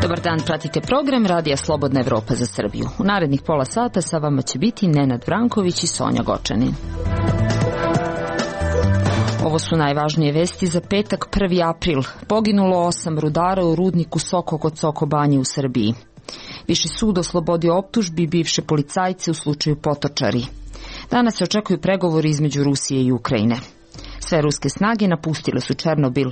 Dobar dan, pratite program Radija Slobodna Evropa za Srbiju. U narednih pola sata sa vama će biti Nenad Vranković i Sonja Gočanin. Ovo su najvažnije vesti za petak 1. april. Poginulo 8 rudara u rudniku Soko kod Soko Banje u Srbiji. Viši sud oslobodio optužbi bivše policajce u slučaju Potočari. Danas se očekuju pregovori između Rusije i Ukrajine. Sve ruske snage napustile su Černobil,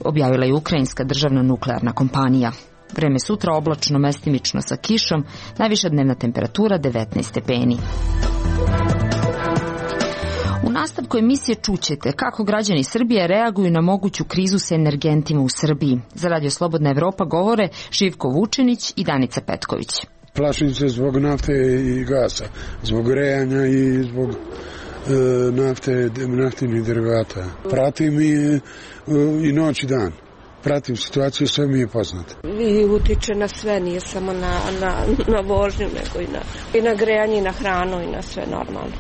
objavila je ukrajinska državna nuklearna kompanija. Vreme sutra oblačno, mestimično sa kišom, najviša dnevna temperatura 19 stepeni. U nastavku emisije čućete kako građani Srbije reaguju na moguću krizu sa energentima u Srbiji. Za Radio Slobodna Evropa govore Živko Vučinić i Danica Petković. Plašim se zbog nafte i gasa, zbog grejanja i zbog naftinih derivata. Pratim i noć i dan. Pratim situaciju, sve mi je poznato. I utiče na sve, nije samo na vožnju, nego i na grejanje, i na hranu, i na sve normalno.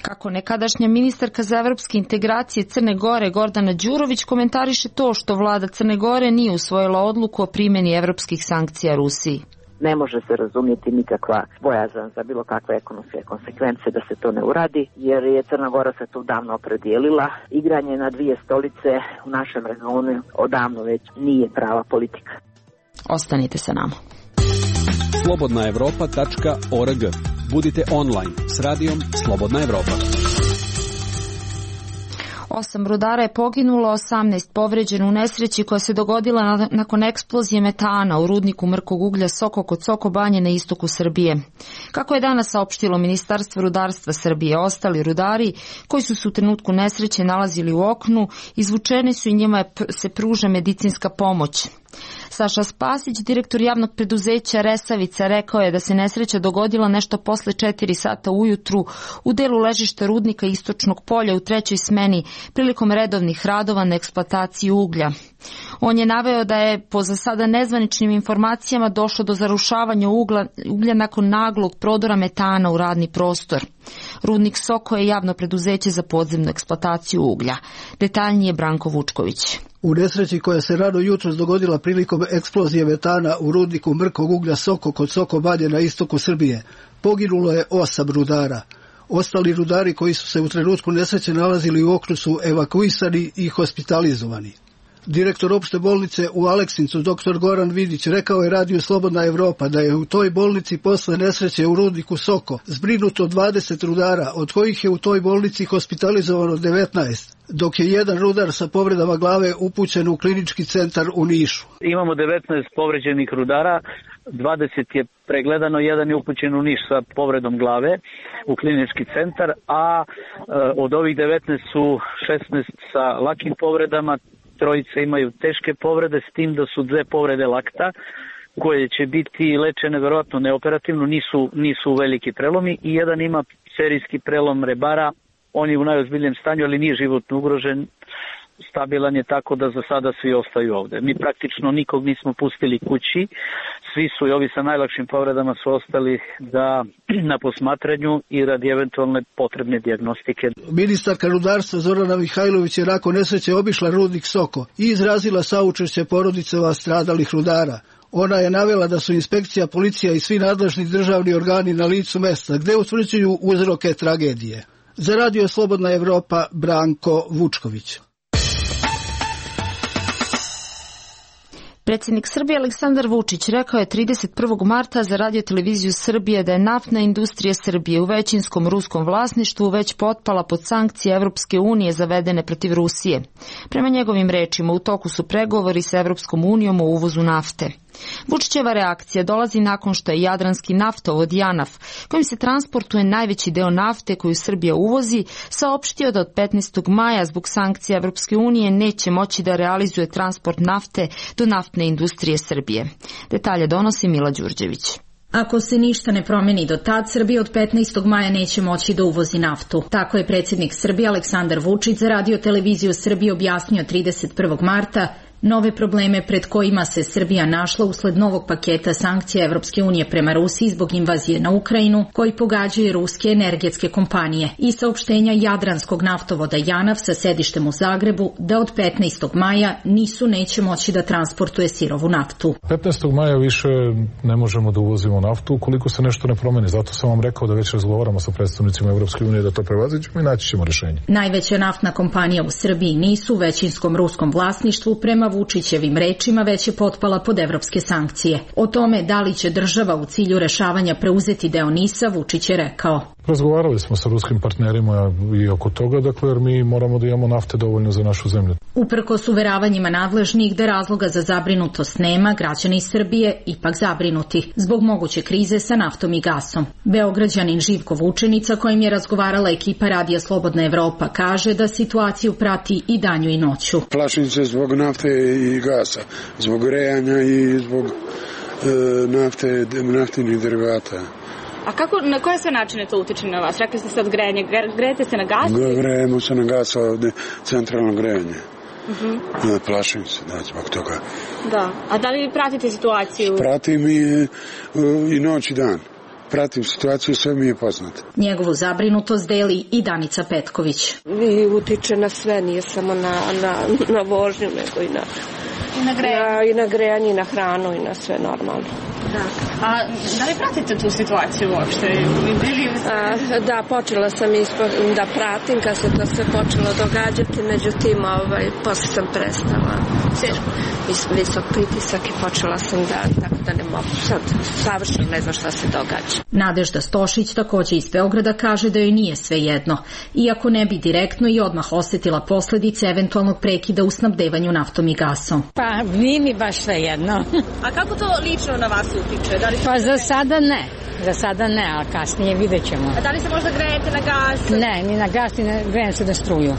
Kako nekadašnja ministarka za evropske integracije Crne Gore Gordana Đurović komentariše to što vlada Crne Gore nije usvojila odluku o primjeni evropskih sankcija Rusiji. Ne može se razumjeti nikakva bojazan za bilo kakve ekonomske konsekvence da se to ne uradi, jer je Crna Gora se tu davno opredijelila. Igranje na dvije stolice u našem regionu odavno već nije prava politika. Ostanite sa nama. slobodnaevropa.org. Budite online s radijom Slobodna Evropa. 8 rudara je poginulo, 18 povređeno u nesreći koja se dogodila nakon eksplozije metana u rudniku mrkog uglja Soko kod Soko Banje na istoku Srbije. Kako je danas saopštilo Ministarstvo rudarstva Srbije, ostali rudari koji su se u trenutku nesreće nalazili u oknu, izvučeni su i njima se pruža medicinska pomoć. Saša Spasić, direktor javnog preduzeća Resavica, rekao je da se nesreća dogodila nešto posle 4 sata ujutru u delu ležišta rudnika Istočnog polja u trećoj smeni prilikom redovnih radova na eksploataciji uglja. On je naveo da je po za sada nezvaničnim informacijama došlo do zarušavanja uglja nakon naglog prodora metana u radni prostor. Rudnik Soko je javno preduzeće za podzemnu eksploataciju uglja. Detaljnije Branko Vučković. U nesreći koja se rano jutros dogodila prilikom eksplozije metana u rudniku mrkog uglja Soko kod Soko Banje na istoku Srbije, poginulo je 8 rudara. Ostali rudari koji su se u trenutku nesreće nalazili u oknu su evakuisani i hospitalizovani. Direktor opšte bolnice u Aleksincu, dr. Goran Vidić, rekao je Radiju Slobodna Evropa da je u toj bolnici posle nesreće u rudniku Soko zbrinuto 20 rudara, od kojih je u toj bolnici hospitalizovano 19, dok je jedan rudar sa povredama glave upućen u klinički centar u Nišu. Imamo 19 povređenih rudara, 20 je pregledano, jedan je upućen u Niš sa povredom glave u klinički centar, a od ovih 19 su 16 sa lakim povredama, trojice imaju teške povrede, s tim da su 2 povrede lakta koje će biti lečene verovatno neoperativno, nisu veliki prelomi, i jedan ima serijski prelom rebara, on je u najozbiljnijem stanju, ali nije životno ugrožen, stabilan je, tako da za sada svi ostaju ovde. Mi praktično nikog nismo pustili kući, svi su i ovi sa najlakšim povredama su ostali na posmatranju i radi eventualne potrebne dijagnostike. Ministarka rudarstva Zorana Mihajlović je nakon nesreće obišla rudnik Soko i izrazila saučešće porodicama stradalih rudara. Ona je navela da su inspekcija, policija i svi nadležni državni organi na licu mesta gde utvrđuju uzroke tragedije. Za Radio Slobodna Evropa, Branko Vučković. Predsjednik Srbije Aleksandar Vučić rekao je 31. marta za Radio televiziju Srbije da je naftna industrija Srbije u većinskom ruskom vlasništvu već potpala pod sankcije Evropske unije zavedene protiv Rusije. Prema njegovim rečima, u toku su pregovori sa Evropskom unijom o uvozu nafte. Vučićeva reakcija dolazi nakon što je Jadranski naftovod JANAF, kojim se transportuje najveći deo nafte koju Srbija uvozi, saopštio da od 15. maja zbog sankcija Evropske unije neće moći da realizuje transport nafte do naftne industrije Srbije. Detalje donosi Mila Đurđević. Ako se ništa ne promeni do tad, Srbija od 15. maja neće moći da uvozi naftu. Tako je predsjednik Srbije Aleksandar Vučić za Radio televiziju Srbije objasnio 31. marta Nove probleme pred kojima se Srbija našla usled novog paketa sankcija Evropske unije prema Rusiji zbog invazije na Ukrajinu, koji pogađaju ruske energetske kompanije, i saopštenja Jadranskog naftovoda JANAF sa sedištem u Zagrebu da od 15. maja neće moći da transportuje sirovu naftu. 15. maja više ne možemo da uvozimo naftu ukoliko se nešto ne promeni. Zato sam vam rekao da već razgovaramo sa predstavnicima Evropske unije da to prevaziđemo i naći ćemo rješenje. Najveća naftna kompanija u Srbiji NIS u većinskom ruskom vlasništvu prema Vučićevim rečima već je potpala pod evropske sankcije. O tome da li će država u cilju rešavanja preuzeti deo NIS-a, Vučić je rekao. Razgovarali smo sa ruskim partnerima i oko toga, dakle, jer mi moramo da imamo nafte dovoljno za našu zemlju. Uprkos uveravanjima nadležnih da razloga za zabrinutost nema, građani iz Srbije ipak zabrinuti zbog moguće krize sa naftom i gasom. Beograđanin Živko Vučenica, kojim je razgovarala ekipa Radija Slobodna Evropa, kaže da situaciju prati i danju i noću. Plašim se zbog nafte i gasa, zbog grejanja i zbog naftinih derivata. A na koje sve načine to utiče na vas? Rekli ste sad grejanje. Grejete se na gas? Grejemo se na gas, ovdje centralno grejanje. Plašim se, zbog toga. Da. A da li pratite situaciju? Pratim i noć i dan. Pratim situaciju, sve mi je poznato. Njegovu zabrinutost deli i Danica Petković. I utiče na sve, nije samo na vožnju, nego i na grejanje, i na hranu, i na sve normalno. Da. A da li pratite tu situaciju uopšte? Da, počela sam da pratim kad se to sve počelo događati, međutim, posle sam prestala. Visok pritisak i počela sam tako da ne mogu. Sad savršeno ne znam šta se događa. Nadežda Stošić takođe iz Beograda kaže da joj nije sve jedno, iako ne bi direktno i odmah osetila posledice eventualnog prekida u snabdevanju naftom i gasom. Pa nije mi baš sve jedno. A kako to lično na vas utiče? Pa za sada ne, a kasnije vidjet ćemo. A da li se možda grejete na gas? Ne, ni na gas, ni grejem se na struju.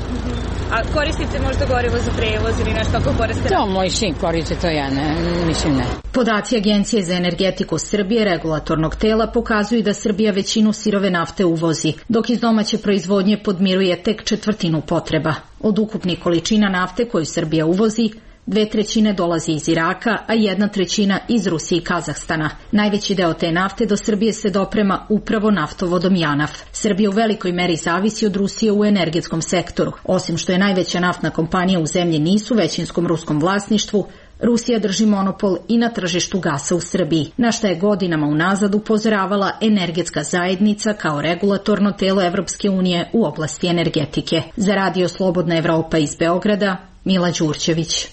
A koristite možda gorivo za prevoz ili nešto ako koriste? To moj sin koristi, to ja ne, mislim ne. Podaci Agencije za energetiku Srbije, regulatornog tela, pokazuju da Srbija većinu sirove nafte uvozi, dok iz domaće proizvodnje podmiruje tek četvrtinu potreba. Od ukupnih količina nafte koju Srbija uvozi, 2/3 dolazi iz Iraka, a 1/3 iz Rusije i Kazahstana. Najveći deo te nafte do Srbije se doprema upravo naftovodom JANAF. Srbija u velikoj meri zavisi od Rusije u energetskom sektoru. Osim što je najveća naftna kompanija u zemlji NIS u većinskom ruskom vlasništvu, Rusija drži monopol i na tržištu gasa u Srbiji, na šta je godinama unazad upozoravala energetska zajednica kao regulatorno telo Evropske unije u oblasti energetike. Za Radio Slobodna Evropa iz Beograda, Mila Đurđević.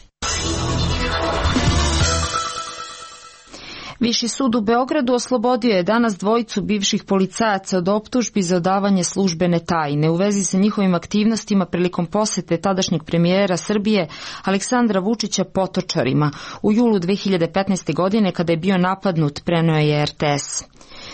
Viši sud u Beogradu oslobodio je danas dvojicu bivših policajaca od optužbi za odavanje službene tajne u vezi sa njihovim aktivnostima prilikom posete tadašnjeg premijera Srbije Aleksandra Vučića Potočarima u julu 2015. godine kada je bio napadnut, preneo je RTS.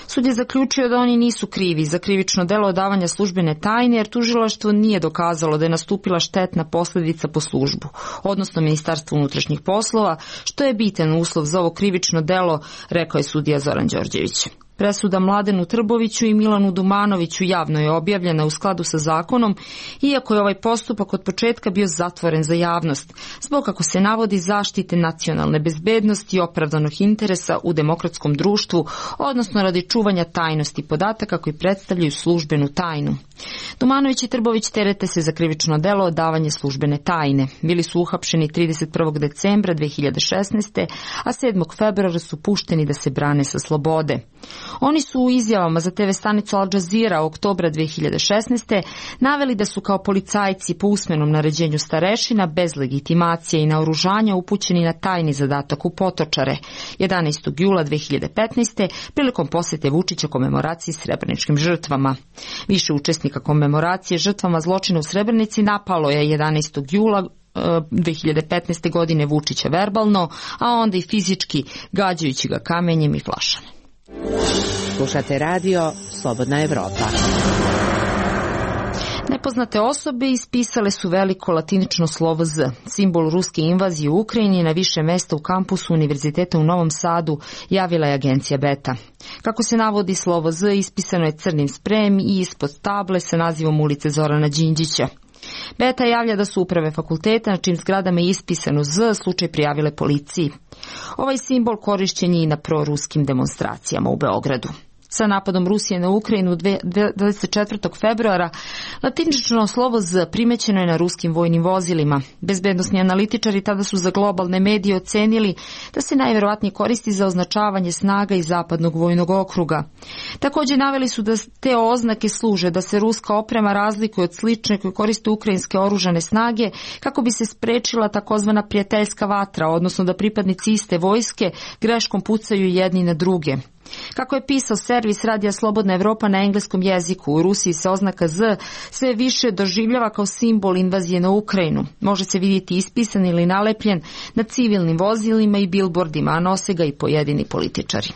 Sud je zaključio da oni nisu krivi za krivično delo odavanja službene tajne jer tužilaštvo nije dokazalo da je nastupila štetna posljedica po službu, odnosno Ministarstvo unutrašnjih poslova, što je bitan uslov za ovo krivično delo, rekao je sudija Zoran Đorđević. Presuda Mladenu Trboviću i Milanu Dumanoviću javno je objavljena u skladu sa zakonom, iako je ovaj postupak od početka bio zatvoren za javnost, zbog, kako se navodi, zaštite nacionalne bezbednosti i opravdanog interesa u demokratskom društvu, odnosno radi čuvanja tajnosti podataka koji predstavljaju službenu tajnu. Dumanović i Trbović terete se za krivično delo odavanje službene tajne. Bili su uhapšeni 31. decembra 2016. a 7. februara su pušteni da se brane sa slobode. Oni su u izjavama za TV stanicu Al Jazeera oktobra 2016. naveli da su kao policajci po usmenom naređenju starešina bez legitimacije i naoružanja upućeni na tajni zadatak u Potočare 11. jula 2015. prilikom posete Vučića komemoraciji srebreničkim žrtvama. Više učesnika komemoracije žrtvama zločina u Srebrenici napalo je 11. jula 2015. godine Vučića verbalno, a onda i fizički, gađajući ga kamenjem i flašama. Slušate radio Slobodna Evropa. Nepoznate osobe ispisale su veliko latinično slovo Z, simbol ruske invazije u Ukrajini, na više mesta u kampusu Univerziteta u Novom Sadu, javila je agencija Beta. Kako se navodi, slovo Z ispisano je crnim sprejem i ispod table sa nazivom ulice Zorana Đinđića. Beta javlja da su uprave fakulteta na čim zgradama je ispisano Z slučaj prijavile policiji. Ovaj simbol korišćen je i na proruskim demonstracijama u Beogradu. Sa napadom Rusije na Ukrajinu 24. februara latinično slovo Z primećeno je na ruskim vojnim vozilima. Bezbednosni analitičari tada su za globalne medije ocenili da se najverovatnije koristi za označavanje snaga iz zapadnog vojnog okruga. Također naveli su da te oznake služe da se ruska oprema razlikuje od slične koje koriste ukrajinske oružane snage kako bi se sprečila takozvana prijateljska vatra, odnosno da pripadnici iste vojske greškom pucaju jedni na druge. Kako je pisao servis Radija Slobodna Evropa na engleskom jeziku, u Rusiji se oznaka Z sve više doživljava kao simbol invazije na Ukrajinu. Može se vidjeti ispisan ili nalepljen na civilnim vozilima i bilbordima, a nose ga i pojedini političari.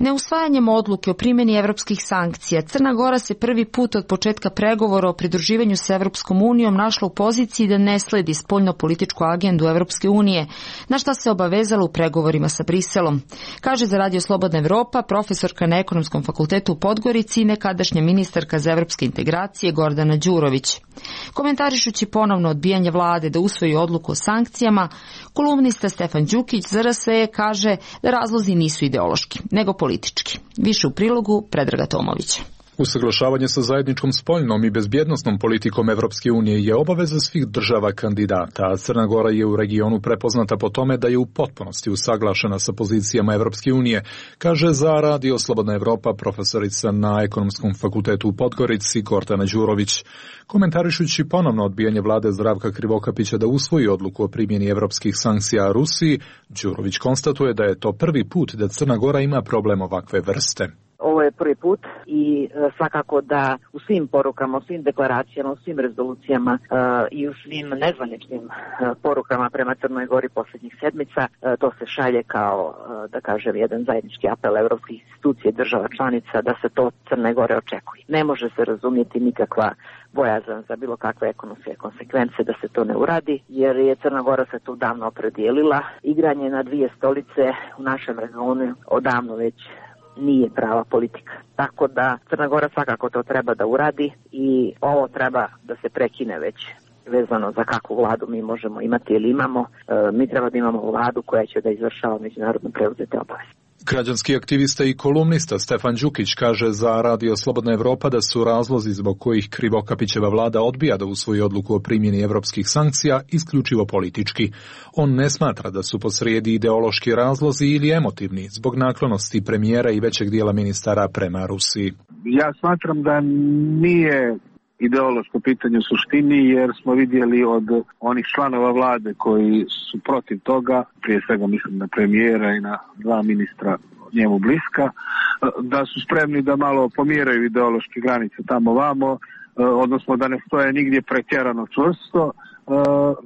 Neusvajanjem odluke o primjeni evropskih sankcija, Crna Gora se prvi put od početka pregovora o pridruživanju s Evropskom unijom našla u poziciji da ne sledi spoljno-političku agendu Evropske unije, na šta se obavezala u pregovorima sa Briselom. Kaže za Radio Slobodna Evropa profesorka na Ekonomskom fakultetu u Podgorici i nekadašnja ministarka za evropske integracije Gordana Đurović. Komentarišući ponovno odbijanje vlade da usvoji odluku o sankcijama, kolumnista Stefan Đukić za RSE kaže da razlozi nisu ideološki, nego politički. Više u prilogu Predraga Tomovića. Usaglašavanje sa zajedničkom spoljnom i bezbjednosnom politikom Evropske unije je obaveza svih država kandidata, a Crna Gora je u regionu prepoznata po tome da je u potpunosti usaglašena sa pozicijama Evropske unije, kaže za Radio Slobodna Evropa profesorica na Ekonomskom fakultetu u Podgorici Gordana Đurović. Komentarišući ponovno odbijanje vlade Zdravka Krivokapića da usvoji odluku o primjeni evropskih sankcija Rusiji, Đurović konstatuje da je to prvi put da Crna Gora ima problem ovakve vrste. Ovo je prvi put i svakako da u svim porukama, u svim deklaracijama, u svim rezolucijama i u svim nezvaničnim porukama prema Crnoj Gori posljednjih sedmica, to se šalje kao, da kažem, jedan zajednički apel evropskih institucija i država članica da se to Crne Gore očekuje. Ne može se razumjeti nikakva bojazan za bilo kakve ekonomske konsekvence da se to ne uradi, jer je Crna Gora se tu davno opredijelila. Igranje na dvije stolice u našem regionu odavno već nije prava politika. Tako da Crna Gora svakako to treba da uradi i ovo treba da se prekine već vezano za kakvu vladu mi možemo imati ili imamo. Mi treba da imamo vladu koja će da izvršava međunarodno preuzete obaveze. Građanski aktivista i kolumnista Stefan Đukić kaže za Radio Slobodna Evropa da su razlozi zbog kojih Krivokapićeva vlada odbija da usvoji odluku o primjeni evropskih sankcija isključivo politički. On ne smatra da su posrijedi ideološki razlozi ili emotivni zbog naklonosti premijera i većeg dijela ministara prema Rusiji. Ja smatram da nije ideološko pitanje u suštini, jer smo vidjeli od onih članova vlade koji su protiv toga, prije svega mislim na premijera i na dva ministra njemu bliska, da su spremni da malo pomjeraju ideološke granice tamo vamo, odnosno da ne stoje nigdje pretjerano čvrsto,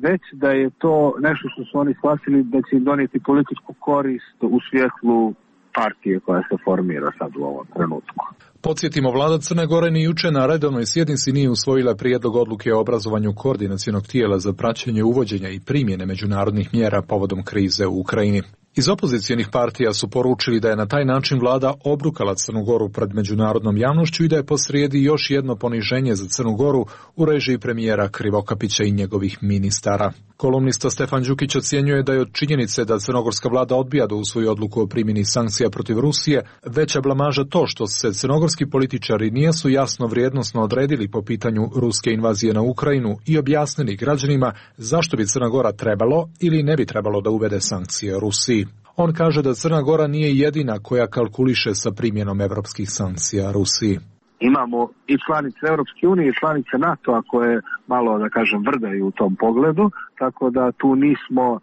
već da je to nešto što su oni shvatili da će im donijeti političku korist u svjetlu partije koja se formira sad u ovom trenutku. Podsjetimo, vlada Crne Gore ni juče na redovnoj sjednici nije usvojila prijedlog odluke o obrazovanju koordinacionog tijela za praćenje uvođenja i primjene međunarodnih mjera povodom krize u Ukrajini. Iz opozicijonih partija su poručili da je na taj način vlada obrukala Crnu Goru pred međunarodnom javnošću i da je posrijedi još jedno poniženje za Crnu Goru u režiji premijera Krivokapića i njegovih ministara. Kolumnista Stefan Đukić ocjenjuje da je od činjenice da crnogorska vlada odbija da usvoji odluku o primjeni sankcija protiv Rusije veća blamaža to što se crnogorski političari nisu jasno vrijednosno odredili po pitanju ruske invazije na Ukrajinu i objasnili građanima zašto bi Crna Gora trebalo ili ne bi trebalo da uvede sankcije Rusiji. On kaže da Crna Gora nije jedina koja kalkuliše sa primjenom evropskih sankcija Rusiji. Imamo i članice Europske unije i članice NATO-a koje malo, da kažem, vrdaju u tom pogledu, tako da tu nismo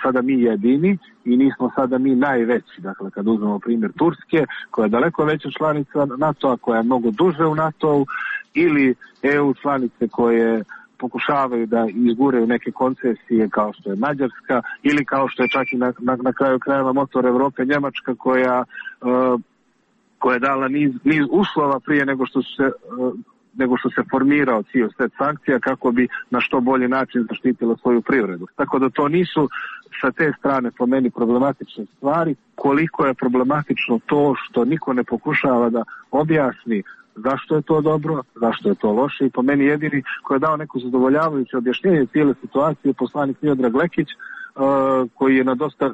sada mi jedini i nismo sada mi najveći. Dakle, kad uzmemo primjer Turske, koja je daleko veća članica NATO-a, koja je mnogo duže u NATO-u, ili EU članice koje pokušavaju da izguraju neke koncesije kao što je Mađarska ili kao što je čak i na kraju krajeva motor Evrope Njemačka koja je dala niz uslova prije nego što se formirao cijel set sankcija kako bi na što bolji način zaštitila svoju privredu. Tako da to nisu sa te strane po meni problematične stvari, koliko je problematično to što niko ne pokušava da objasni zašto je to dobro, zašto je to loše i po meni jedini koji je dao neko zadovoljavajuće objašnjenje cijele situacije poslanik Miodrag Lekić, koji je na dosta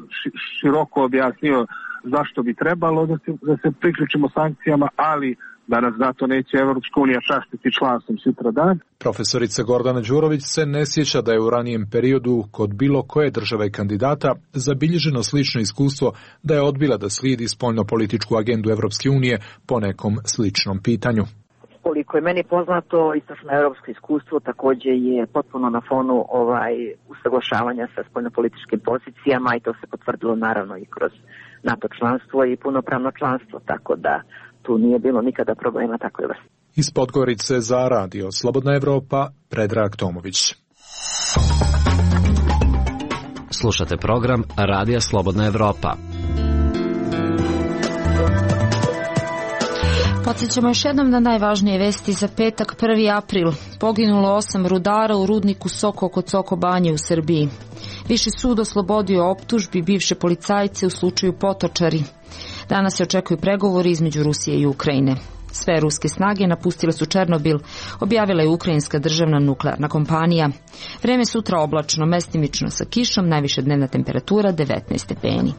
široko objasnio zašto bi trebalo da se priključimo sankcijama, ali da nas zato neće Evropska unija častiti članstvom sutradan. Profesorica Gordana Đurović se ne sjeća da je u ranijem periodu kod bilo koje države kandidata zabilježeno slično iskustvo da je odbila da slijedi spoljnopolitičku agendu Evropske unije po nekom sličnom pitanju. Koliko je meni poznato, istočno evropsko iskustvo također je potpuno na fonu usaglašavanja sa spoljnopolitičkim pozicijama i to se potvrdilo naravno i kroz NATO članstvo i punopravno članstvo, tako da tu nije bilo nikada problema takve vrste. Iz Podgorice za radio Slobodna Evropa, Predrag Tomović. Slušate program Radija Slobodna Evropa. Podsjećamo još jednom na najvažnije vesti za petak 1. april. Poginulo 8 rudara u rudniku Soko kod Soko Banje u Srbiji. Viši sud oslobodio optužbi bivše policajce u slučaju Potočari. Danas se očekuju pregovori između Rusije i Ukrajine. Sve ruske snage napustile su Černobil, objavila je ukrajinska državna nuklearna kompanija. Vreme sutra oblačno, mestimično sa kišom, najviša dnevna temperatura 19 stepeni.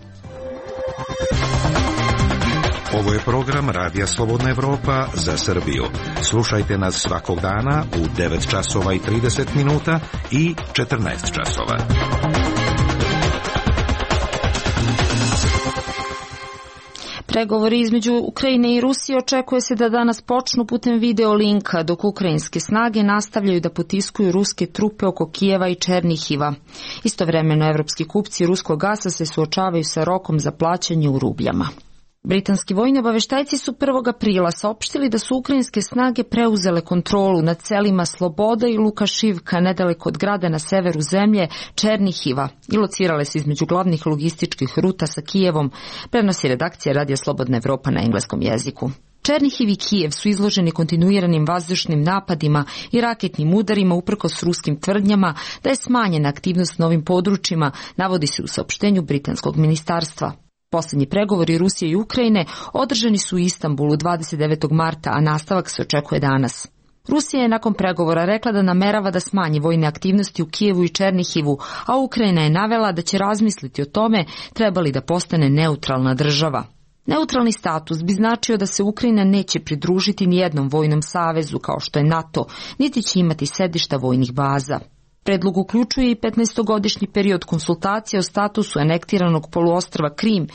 Ovo je program Radija Slobodna Evropa za Srbiju. Slušajte nas svakog dana u 9 časova i 30 minuta i 14 časova. Pregovori između Ukrajine i Rusije očekuje se da danas počnu putem video linka, dok ukrajinske snage nastavljaju da potiskuju ruske trupe oko Kijeva i Černihiva. Istovremeno evropski kupci ruskog gasa se suočavaju sa rokom za plaćanje u rubljama. Britanski vojni obaveštajci su 1. aprila saopštili da su ukrajinske snage preuzele kontrolu nad selima Sloboda i Lukašivka nedaleko od grada na severu zemlje Černihiva i locirale se između glavnih logističkih ruta sa Kijevom, prenosi redakcija Radija Slobodna Evropa na engleskom jeziku. Černihiv i Kijev su izloženi kontinuiranim vazdušnim napadima i raketnim udarima uprkos ruskim tvrdnjama da je smanjena aktivnost na ovim područjima, navodi se u saopštenju britanskog ministarstva. Poslednji pregovori Rusije i Ukrajine održani su u Istanbulu 29. marta, a nastavak se očekuje danas. Rusija je nakon pregovora rekla da namerava da smanji vojne aktivnosti u Kijevu i Černihivu, a Ukrajina je navela da će razmisliti o tome treba li da postane neutralna država. Neutralni status bi značio da se Ukrajina neće pridružiti nijednom vojnom savezu kao što je NATO, niti će imati sedišta vojnih baza. Predlog uključuje i 15-godišnji period konsultacija o statusu anektiranog poluostrva Krim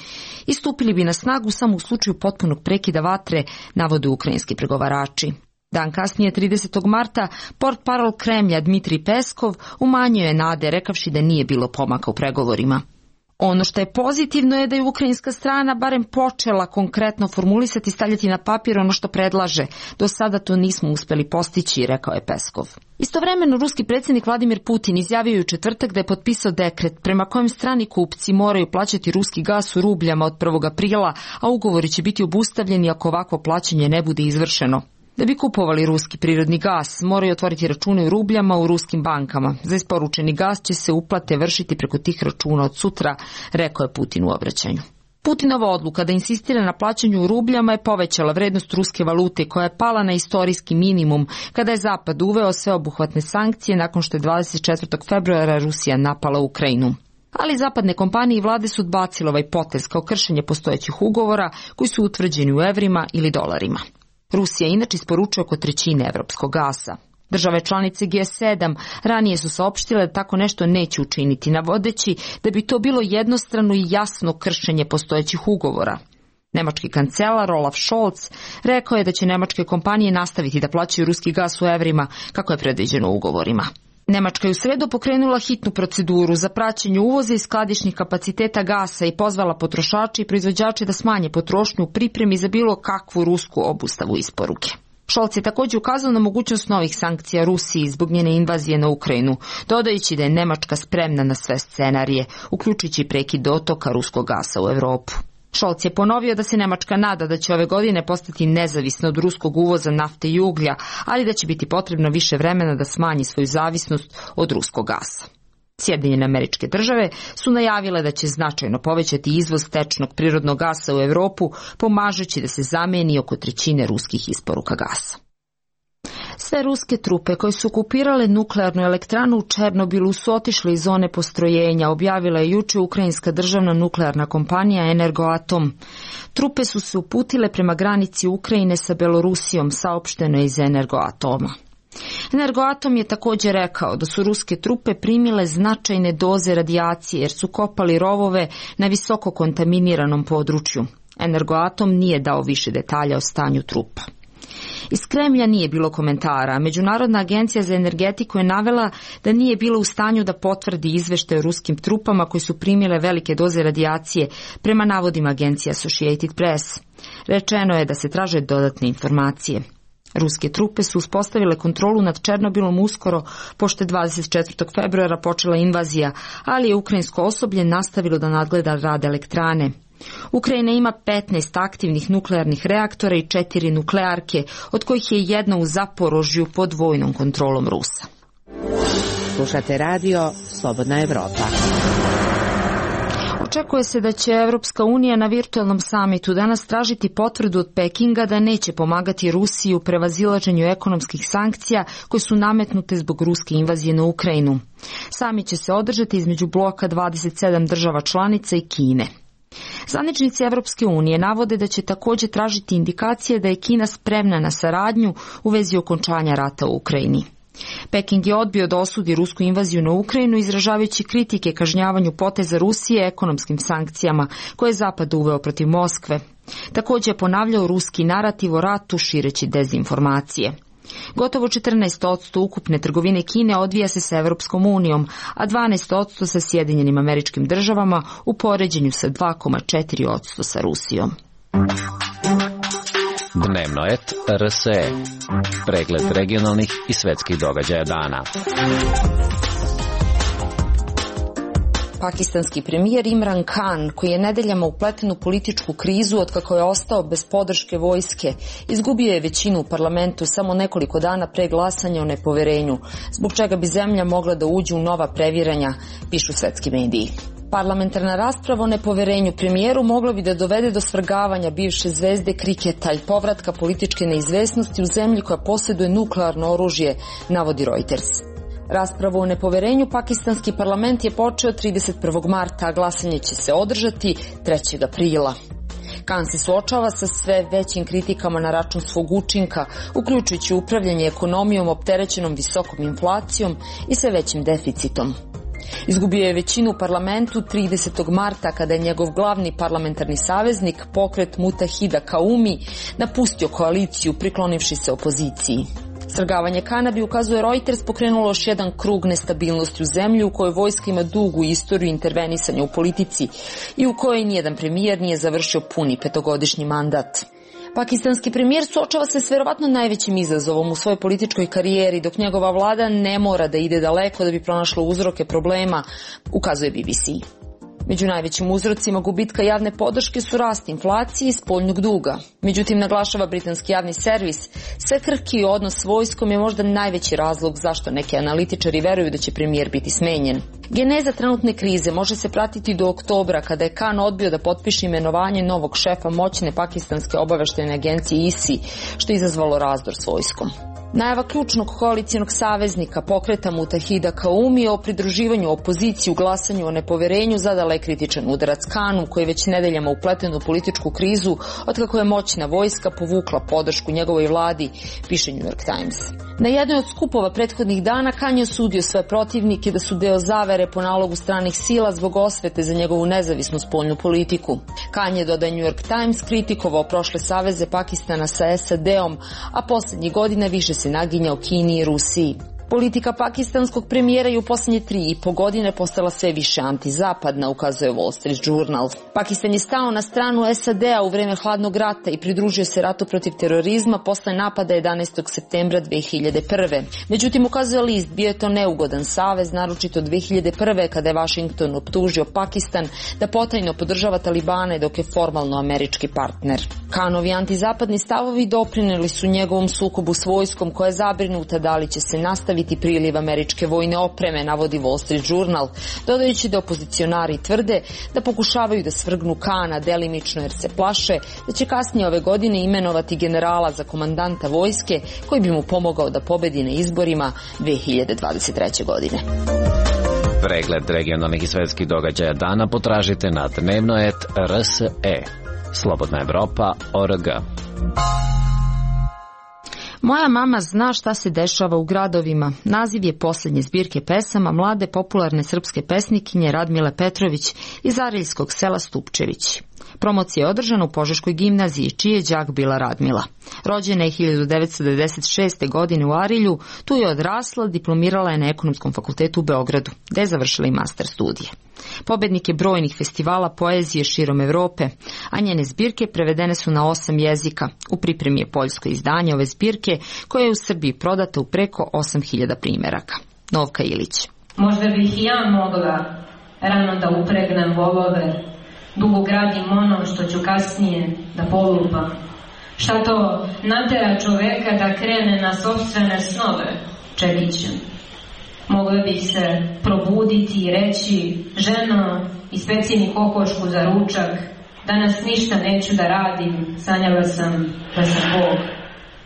i stupili bi na snagu samo u slučaju potpunog prekida vatre, navode ukrajinski pregovarači. Dan kasnije, 30. marta, portparol Kremlja Dmitrij Peskov umanjio je nade rekavši da nije bilo pomaka u pregovorima. Ono što je pozitivno je da je ukrajinska strana barem počela konkretno formulisati i stavljati na papir ono što predlaže. Do sada to nismo uspeli postići, rekao je Peskov. Istovremeno, ruski predsjednik Vladimir Putin izjavio je u četvrtak da je potpisao dekret prema kojem strani kupci moraju plaćati ruski gas u rubljama od 1. aprila, a ugovori će biti obustavljeni ako ovakvo plaćanje ne bude izvršeno. Da bi kupovali ruski prirodni gas, moraju otvoriti račune u rubljama u ruskim bankama. Za isporučeni gas će se uplate vršiti preko tih računa od sutra, rekao je Putin u obraćanju. Putinova odluka da insistira na plaćanju u rubljama je povećala vrednost ruske valute koja je pala na istorijski minimum kada je Zapad uveo sveobuhvatne sankcije nakon što je 24. februara Rusija napala Ukrajinu. Ali zapadne kompanije i vlade su odbacile ovaj potez kao kršenje postojećih ugovora koji su utvrđeni u evrima ili dolarima. Rusija inače isporučuje oko trećine evropskog gasa. Države članice G7 ranije su saopštile da tako nešto neće učiniti, navodeći da bi to bilo jednostrano i jasno kršenje postojećih ugovora. Nemački kancelar Olaf Scholz rekao je da će nemačke kompanije nastaviti da plaćaju ruski gas u evrima kako je predviđeno u ugovorima. Nemačka je u sredu pokrenula hitnu proceduru za praćenje uvoza i skladišnih kapaciteta gasa i pozvala potrošače i proizvođače da smanje potrošnju u pripremi za bilo kakvu rusku obustavu isporuke. Scholz je također ukazao na mogućnost novih sankcija Rusiji zbog njene invazije na Ukrajinu, dodajući da je Nemačka spremna na sve scenarije, uključujući prekid dotoka ruskog gasa u Europu. Scholz je ponovio da se Nemačka nada da će ove godine postati nezavisna od ruskog uvoza nafte i uglja, ali da će biti potrebno više vremena da smanji svoju zavisnost od ruskog gasa. Sjedinjene Američke Države su najavile da će značajno povećati izvoz tečnog prirodnog gasa u Evropu, pomažući da se zameni oko trećine ruskih isporuka gasa. Sve ruske trupe koje su okupirale nuklearnu elektranu u Černobilu su otišle iz zone postrojenja, objavila je juče ukrajinska državna nuklearna kompanija Energoatom. Trupe su se uputile prema granici Ukrajine sa Belorusijom, saopšteno je iz Energoatoma. Energoatom je također rekao da su ruske trupe primile značajne doze radijacije jer su kopali rovove na visoko kontaminiranom području. Energoatom nije dao više detalja o stanju trupa. Iz Kremlja nije bilo komentara, a Međunarodna agencija za energetiku je navela da nije bila u stanju da potvrdi izveštaj o ruskim trupama koji su primile velike doze radijacije, prema navodima agencije Associated Press. Rečeno je da se traže dodatne informacije. Ruske trupe su uspostavile kontrolu nad Černobilom uskoro, pošto je 24. februara počela invazija, ali je ukrajinsko osoblje nastavilo da nadgleda rad elektrane. Ukrajina ima 15 aktivnih nuklearnih reaktora i 4 nuklearke, od kojih je jedna u Zaporožju pod vojnom kontrolom Rusa. Slušate radio Slobodna Evropa. Očekuje se da će Evropska unija na virtualnom samitu danas tražiti potvrdu od Pekinga da neće pomagati Rusiji u prevazilaženju ekonomskih sankcija koje su nametnute zbog ruske invazije na Ukrajinu. Samit će se održati između bloka 27 država članica i Kine. Zvaničnici Evropske unije navode da će također tražiti indikacije da je Kina spremna na saradnju u vezi okončanja rata u Ukrajini. Peking je odbio da osudi rusku invaziju na Ukrajinu, izražavajući kritike kažnjavanju poteza Rusije ekonomskim sankcijama koje je Zapad uveo protiv Moskve. Također je ponavljao ruski narativ o ratu šireći dezinformacije. Gotovo 14% ukupne trgovine Kine odvija se sa Evropskom unijom, a 12% sa Sjedinjenim Američkim Državama u poređenju sa 2,4% sa Rusijom. Dnevno et RSE. Pregled regionalnih i svetskih događaja dana. Pakistanski premijer Imran Khan, koji je nedeljama upleten u političku krizu otkako je ostao bez podrške vojske, izgubio je većinu u parlamentu samo nekoliko dana pre glasanja o nepoverenju, zbog čega bi zemlja mogla da uđe u nova previranja, pišu svetski mediji. Parlamentarna rasprava o nepoverenju premijeru mogla bi da dovede do svrgavanja bivše zvezde kriketa i povratka političke neizvesnosti u zemlji koja posjeduje nuklearno oružje, navodi Reuters. Raspravu o nepoverenju pakistanski parlament je počeo 31. marta, a glasanje će se održati 3. aprila. Khan se suočava sa sve većim kritikama na račun svog učinka, uključujući upravljanje ekonomijom opterećenom visokom inflacijom i sve većim deficitom. Izgubio je većinu u parlamentu 30. marta kada je njegov glavni parlamentarni saveznik, pokret Mutahida Kaumi, napustio koaliciju priklonivši se opoziciji. Svrgavanje Khana bi, ukazuje Reuters, pokrenulo još jedan krug nestabilnosti u zemlji u kojoj vojska ima dugu istoriju intervenisanja u politici i u kojoj nijedan premijer nije završio puni 5-godišnji mandat. Pakistanski premijer suočava se s verovatno najvećim izazovom u svojoj političkoj karijeri, dok njegova vlada ne mora da ide daleko da bi pronašla uzroke problema, ukazuje BBC. Među najvećim uzrocima gubitka javne podrške su rast inflacije i spoljnog duga. Međutim, naglašava britanski javni servis, sve krhki odnos s vojskom je možda najveći razlog zašto neki analitičari veruju da će premijer biti smenjen. Geneza trenutne krize može se pratiti do oktobra, kada je Khan odbio da potpiše imenovanje novog šefa moćne pakistanske obaveštajne agencije ISI, što je izazvalo razdor s vojskom. Najava ključnog koalicijonog saveznika pokreta Mutahida Kaumi o pridruživanju opoziciji u glasanju o nepoverenju zadala je kritičan udarac Khanu, koji je već nedeljama upleten u političku krizu otkako je moćna vojska povukla podršku njegovoj vladi, piše New York Times. Na jednoj od skupova prethodnih dana Khan je osudio svoje protivnike da su deo zavere po nalogu stranih sila zbog osvete za njegovu nezavisnu spoljnu politiku. Khan je, dodaje New York Times, kritikovao prošle saveze Pakistana sa SAD-om, a posljednjih godina više se naginjao Kini i Rusiji. Politika pakistanskog premijera je u posljednje 3,5 godine postala sve više antizapadna, ukazuje Wall Street Journal. Pakistan je stao na stranu SAD-a u vreme hladnog rata i pridružio se ratu protiv terorizma posle napada 11. septembra 2001. Međutim, ukazuje list, bio je to neugodan savez, naročito 2001. kada je Washington optužio Pakistan da potajno podržava Talibane dok je formalno američki partner. Kanovi antizapadni stavovi doprineli su njegovom sukobu s vojskom koja je zabrinuta da li će se nastaviti priliv američke vojne opreme, navodi Wall Street Journal, dodajući da opozicionari tvrde da pokušavaju da svrgnu Kana delimično jer se plaše da će kasnije ove godine imenovati generala za komandanta vojske koji bi mu pomogao da pobedi na izborima 2023. godine. Pregled regionalnih i svetskih događaja dana potražite na dnevno.rs.e. Slobodna Evropa.org. Moja mama zna šta se dešava u gradovima. Naziv je posljednje zbirke pesama mlade popularne srpske pesnikinje Radmile Petrović iz Ariljskog sela Stupčević. Promocija je održana u Požeškoj gimnaziji, čiji je đak bila Radmila. Rođena je 1996. godine u Arilju, tu je odrasla, diplomirala je na Ekonomskom fakultetu u Beogradu, gde je završila i master studije. Pobednik je brojnih festivala poezije širom Evrope, a njene zbirke prevedene su na 8 jezika. U pripremi je poljsko izdanje ove zbirke, koja je u Srbiji prodata u preko 8000 primeraka. Novka Ilić. Možda bih i ja mogla rano da upregnem volove, dugo gradim ono što ću kasnije da polupam. Šta to natera čoveka da krene na sopstvene snove, čekićem. Mogla bih se probuditi i reći, ženo, ispeci mi kokošku za ručak, danas ništa neću da radim, sanjala sam da sam Bog.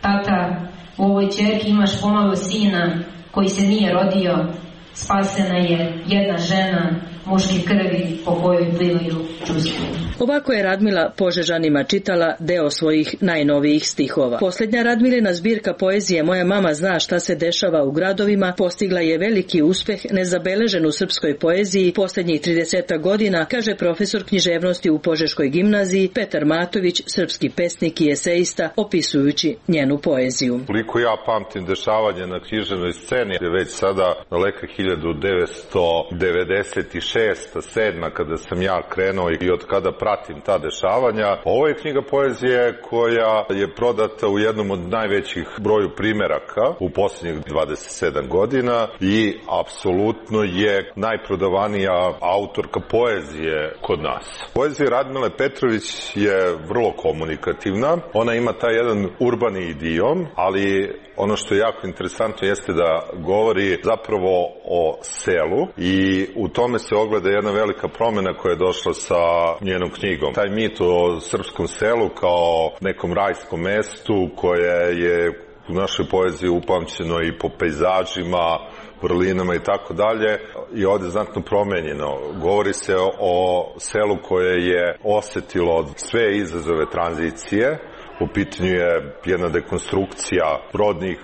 Tata, u ovoj ćerki imaš pomalo sina koji se nije rodio, spasena je jedna žena, muški krvi po kojoj plivaju čustva. Ovako je Radmila Požežanima čitala deo svojih najnovijih stihova. Posljednja Radmilina zbirka poezije Moja mama zna šta se dešava u gradovima postigla je veliki uspeh nezabeležen u srpskoj poeziji posljednjih 30 godina, kaže profesor književnosti u Požeškoj gimnaziji Petar Matović, srpski pesnik i eseista, opisujući njenu poeziju. Koliko ja pamtim dešavanje na književnoj sceni je već sada daleka 1996. 7. kada sam ja krenuo i od kada pratim ta dešavanja. Ovo je knjiga poezije koja je prodata u jednom od najvećih broju primeraka u posljednjih 27 godina i apsolutno je najprodavanija autorka poezije kod nas. Poezija Radmile Petrović je vrlo komunikativna. Ona ima taj jedan urbani idiom, ali ono što je jako interesantno jeste da govori zapravo o selu i u tome se ogleda jedna velika promjena koja je došla sa njenom knjigom. Taj mit o srpskom selu kao nekom rajskom mestu koje je u našoj poeziji upamćeno i po pejzažima, vrlinama i tako dalje je ovdje znatno promenjeno. Govori se o selu koje je osetilo sve izazove tranzicije. U pitanju je jedna dekonstrukcija rodnih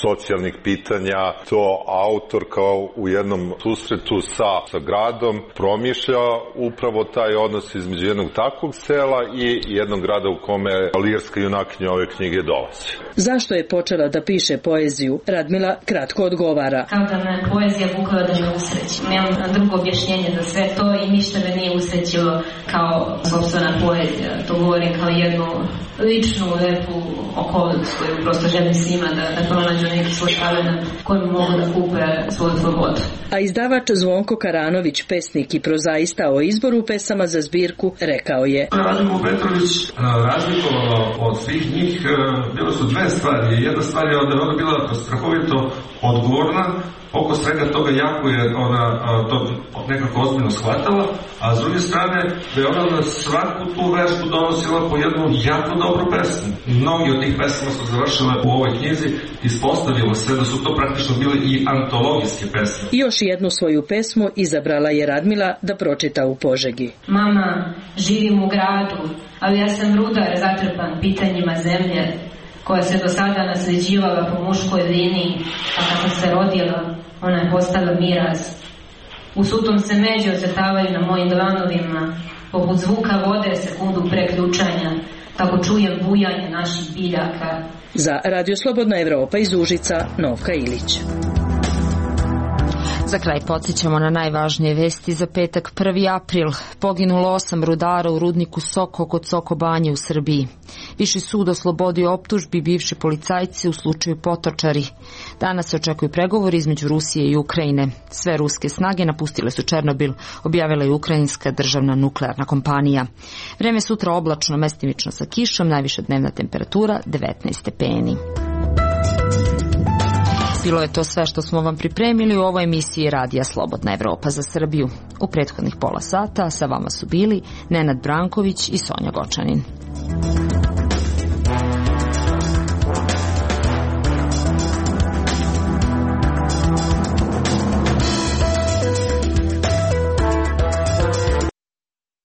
socijalnih pitanja. To autor kao u jednom susretu sa gradom promišlja upravo taj odnos između jednog takvog sela i jednog grada u kome lirska junakinja ove knjige dolazi. Zašto je počela da piše poeziju? Radmila kratko odgovara. Kao da me poezija vukla da me usreći. Nemam drugo objašnjenje za sve to i ništa me nije usrećilo kao sopstvena poezija. To govorim kao jednu ličnu, lepu okolicu koju prosto želim svima da pronađu neki svoj talenat kojim mogu da kupe svoju slobodu. A izdavač Zvonko Karanović, pesnik i prozaista, o izboru pesama za zbirku rekao je: Radmila Petrović razlikovala od svih njih bilo su dve stvari. Jedna stvar je da je ona bila strahovito odgovorna, oko svega toga jako je ona to nekako ozbiljno shvatala, a s druge strane da je ona na svaku tu vežbu donosila po jednu jako dobru pesmu. Mnogi od tih pesama su završile u ovoj knjizi, ispostavilo se da su to praktično bile i antologijske pesme. I još jednu svoju pesmu izabrala je Radmila da pročita u Požegi. Mama, živim u gradu, ali ja sam rudar zatrpan pitanjima zemlje, koja se do sada nasljeđivala po muškoj liniji, a kako se rodila, ona je postala miraz. U sutom se međe ocrtavaju na mojim dlanovima, poput zvuka vode sekundu pre ključanja, tako čujem bujanje naših biljaka. Za Radio Slobodna Evropa iz Užica, Novka Ilić. Za kraj podsjećamo na najvažnije vesti za petak 1. april. Poginulo 8 rudara u rudniku Soko kod Soko Banje u Srbiji. Viši sud oslobodio optužbi bivši policajci u slučaju Potočari. Danas se očekuju pregovori između Rusije i Ukrajine. Sve ruske snage napustile su Černobil, objavila je ukrajinska državna nuklearna kompanija. Vreme sutra oblačno, mestimično sa kišom, najviša dnevna temperatura 19 stepeni. Bilo je to sve što smo vam pripremili u ovoj emisiji Radija Slobodna Evropa za Srbiju. U prethodnih pola sata sa vama su bili Nenad Branković i Sonja Gočanin.